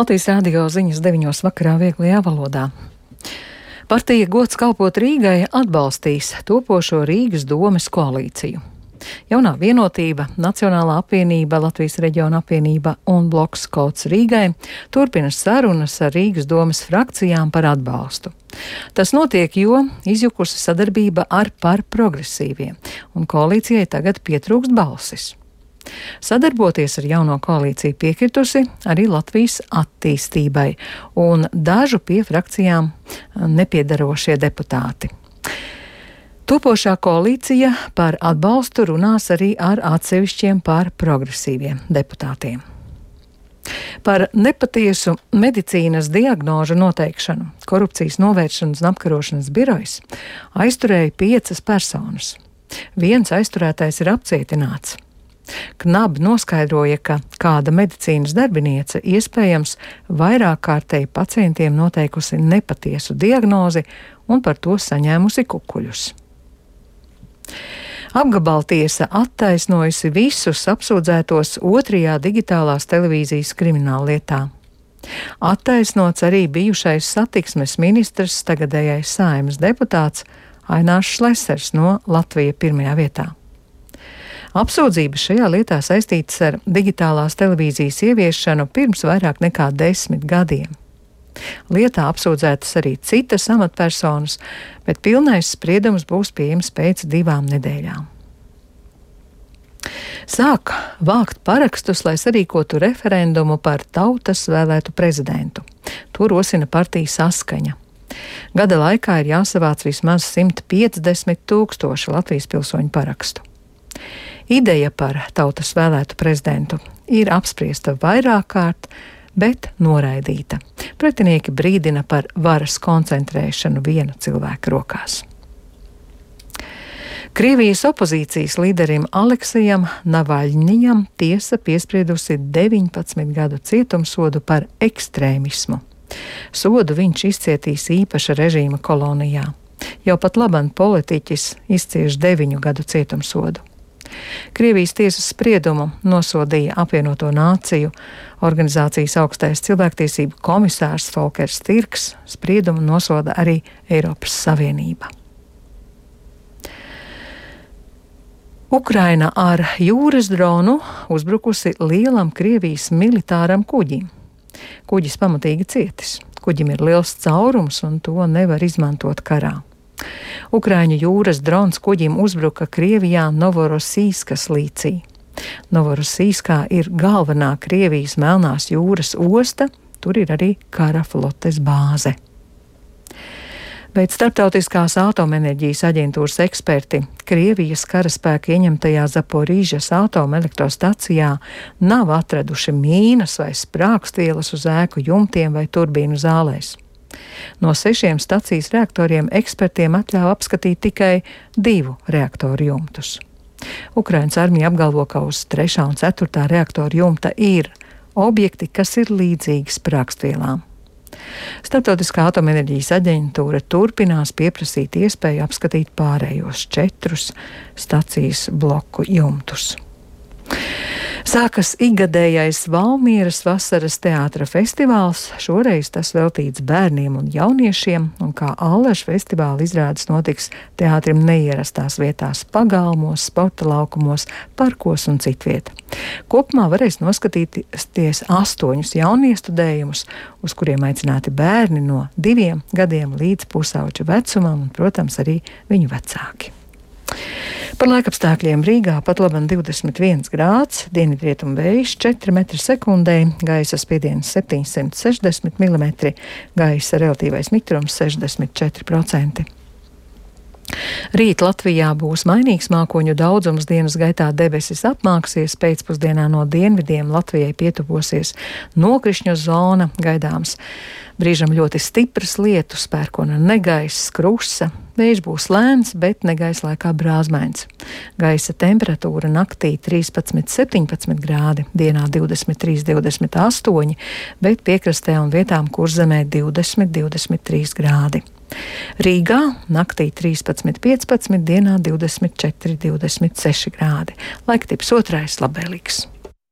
Latvijas radio ziņas 9 vakarā vieglajā valodā. Partija Gods kalpot Rīgai atbalstīs topošo Rīgas domes koalīciju. Jaunā vienotība, Nacionālā apvienība, Latvijas reģiona apvienība un bloks Kods Rīgai turpina sarunas ar Rīgas domes frakcijām par atbalstu. Tas notiek, jo izjukusi sadarbība ar par progresīviem, un koalīcijai tagad pietrūkst balsis. Sadarboties ar jauno koalīciju piekritusi arī Latvijas attīstībai un dažu pie frakcijām nepiedarošie deputāti. Topošā koalīcija par atbalstu runās arī ar atsevišķiem par progresīviem deputātiem. Par nepatiesu medicīnas diagnožu noteikšanu Korupcijas novēršanas un apkarošanas birojas aizturēja 5 personas. Viens aizturētais ir apcietināts. KNAB noskaidroja, ka kāda medicīnas darbiniece iespējams vairāk kārtēji pacientiem noteikusi nepatiesu diagnozi un par to saņēmusi kukuļus. Apgabaltiesa attaisnojusi visus apsūdzētos 2. digitālās televīzijas krimināllietā. Attaisnots arī bijušais satiksmes ministrs, tagadējais Saeimas deputāts Ainārs Šlesers no Latvija pirmajā vietā. Apsūdzības šajā lietā saistītas ar digitālās televīzijas ieviešanu pirms vairāk nekā 10 gadiem. Lietā apsūdzētas arī citas amatpersonas, bet pilnais spriedums būs pieejams pēc 2 nedēļām. Sāk vākt parakstus, lai sarīkotu referendumu par tautas vēlētu prezidentu. To rosina partija Saskaņa. Gada laikā ir jāsavāc vismaz 150 000 Latvijas pilsoņu parakstu. Ideja par tautas vēlētu prezidentu ir apspriesta vairāk kārt, bet noraidīta. Pretinieki brīdina par varas koncentrēšanu viena cilvēka rokās. Krievijas opozīcijas līderim Aleksejam Navaļņijam tiesa piespriedusi 19 gadu cietumsodu par ekstrēmismu. Sodu viņš izcietīs īpaša režīma kolonijā. Jau pat laban politiķis izcieš 9 gadu cietumsodu. Krievijas tiesas spriedumu nosodīja Apvienoto Nāciju organizācijas augstais cilvēktiesību komisārs Folkers Tirks, spriedumu nosoda arī Eiropas Savienība. Ukraina ar jūras dronu uzbrukusi lielam Krievijas militāram kuģim. Kuģis pamatīgi cietis. Kuģim ir liels caurums un to nevar izmantot karā. Ukraiņu jūras drons kuģim uzbruka Krievijā Novorosīskas līcī. Novorosīskā ir galvenā Krievijas Melnās jūras osta, tur ir arī kara flotes bāze. Bet Starptautiskās atomenerģijas aģentūras eksperti Krievijas karaspēka ieņemtajā Zaporīžas atomelektrostacijā nav atraduši mīnas vai sprāgstvielas uz ēku jumtiem vai turbīnu zālēs. No 6 stacijas reaktoriem ekspertiem atļāva apskatīt tikai 2 reaktoru jumtus. Ukrainas armija apgalvo, ka uz 3. un 4. reaktoru jumta ir objekti, kas ir līdzīgi sprāgstvielām. Starptautiskā atomenerģijas aģentūra turpinās pieprasīt iespēju apskatīt pārējos 4 stacijas bloku jumtus. Sākas ikgadējais Valmieras vasaras teātra festivāls, šoreiz tas veltīts bērniem un jauniešiem, un kā allaž festivāla izrādes notiks teātrim neierastās vietās - pagalmos, sporta laukumos, parkos un citviet. Kopumā varēs noskatīties 8 jauniestudējumus, uz kuriem aicināti bērni no 2 gadiem līdz pusauģa vecumam un, protams, arī viņu vecāki. Par laikapstākļiem Rīgā pat laban 21 grāds, dienvidrietumu vējš 4 m/sekundē, gaisa spiediens 760 mm, gaisa relatīvais mitrums 64%. Rīt Latvijā būs mainīgs mākoņu daudzums, dienas gaitā debesis apmāksies, pēcpusdienā no dienvidiem Latvijai pietuvosies nokrišņu zona, gaidāms brīžam ļoti stipras lietus, pērkona negaiss, krusa, vējš būs lēns, bet negaiss laikā brāzmains. Gaisa temperatūra naktī 13–17 grādi, dienā 23–28, bet piekrastē un vietām Kurzemē 20–23 grādi. Rīgā naktī 13–15, dienā 24–26 grādi. Laiktips otrais labvēlīgs.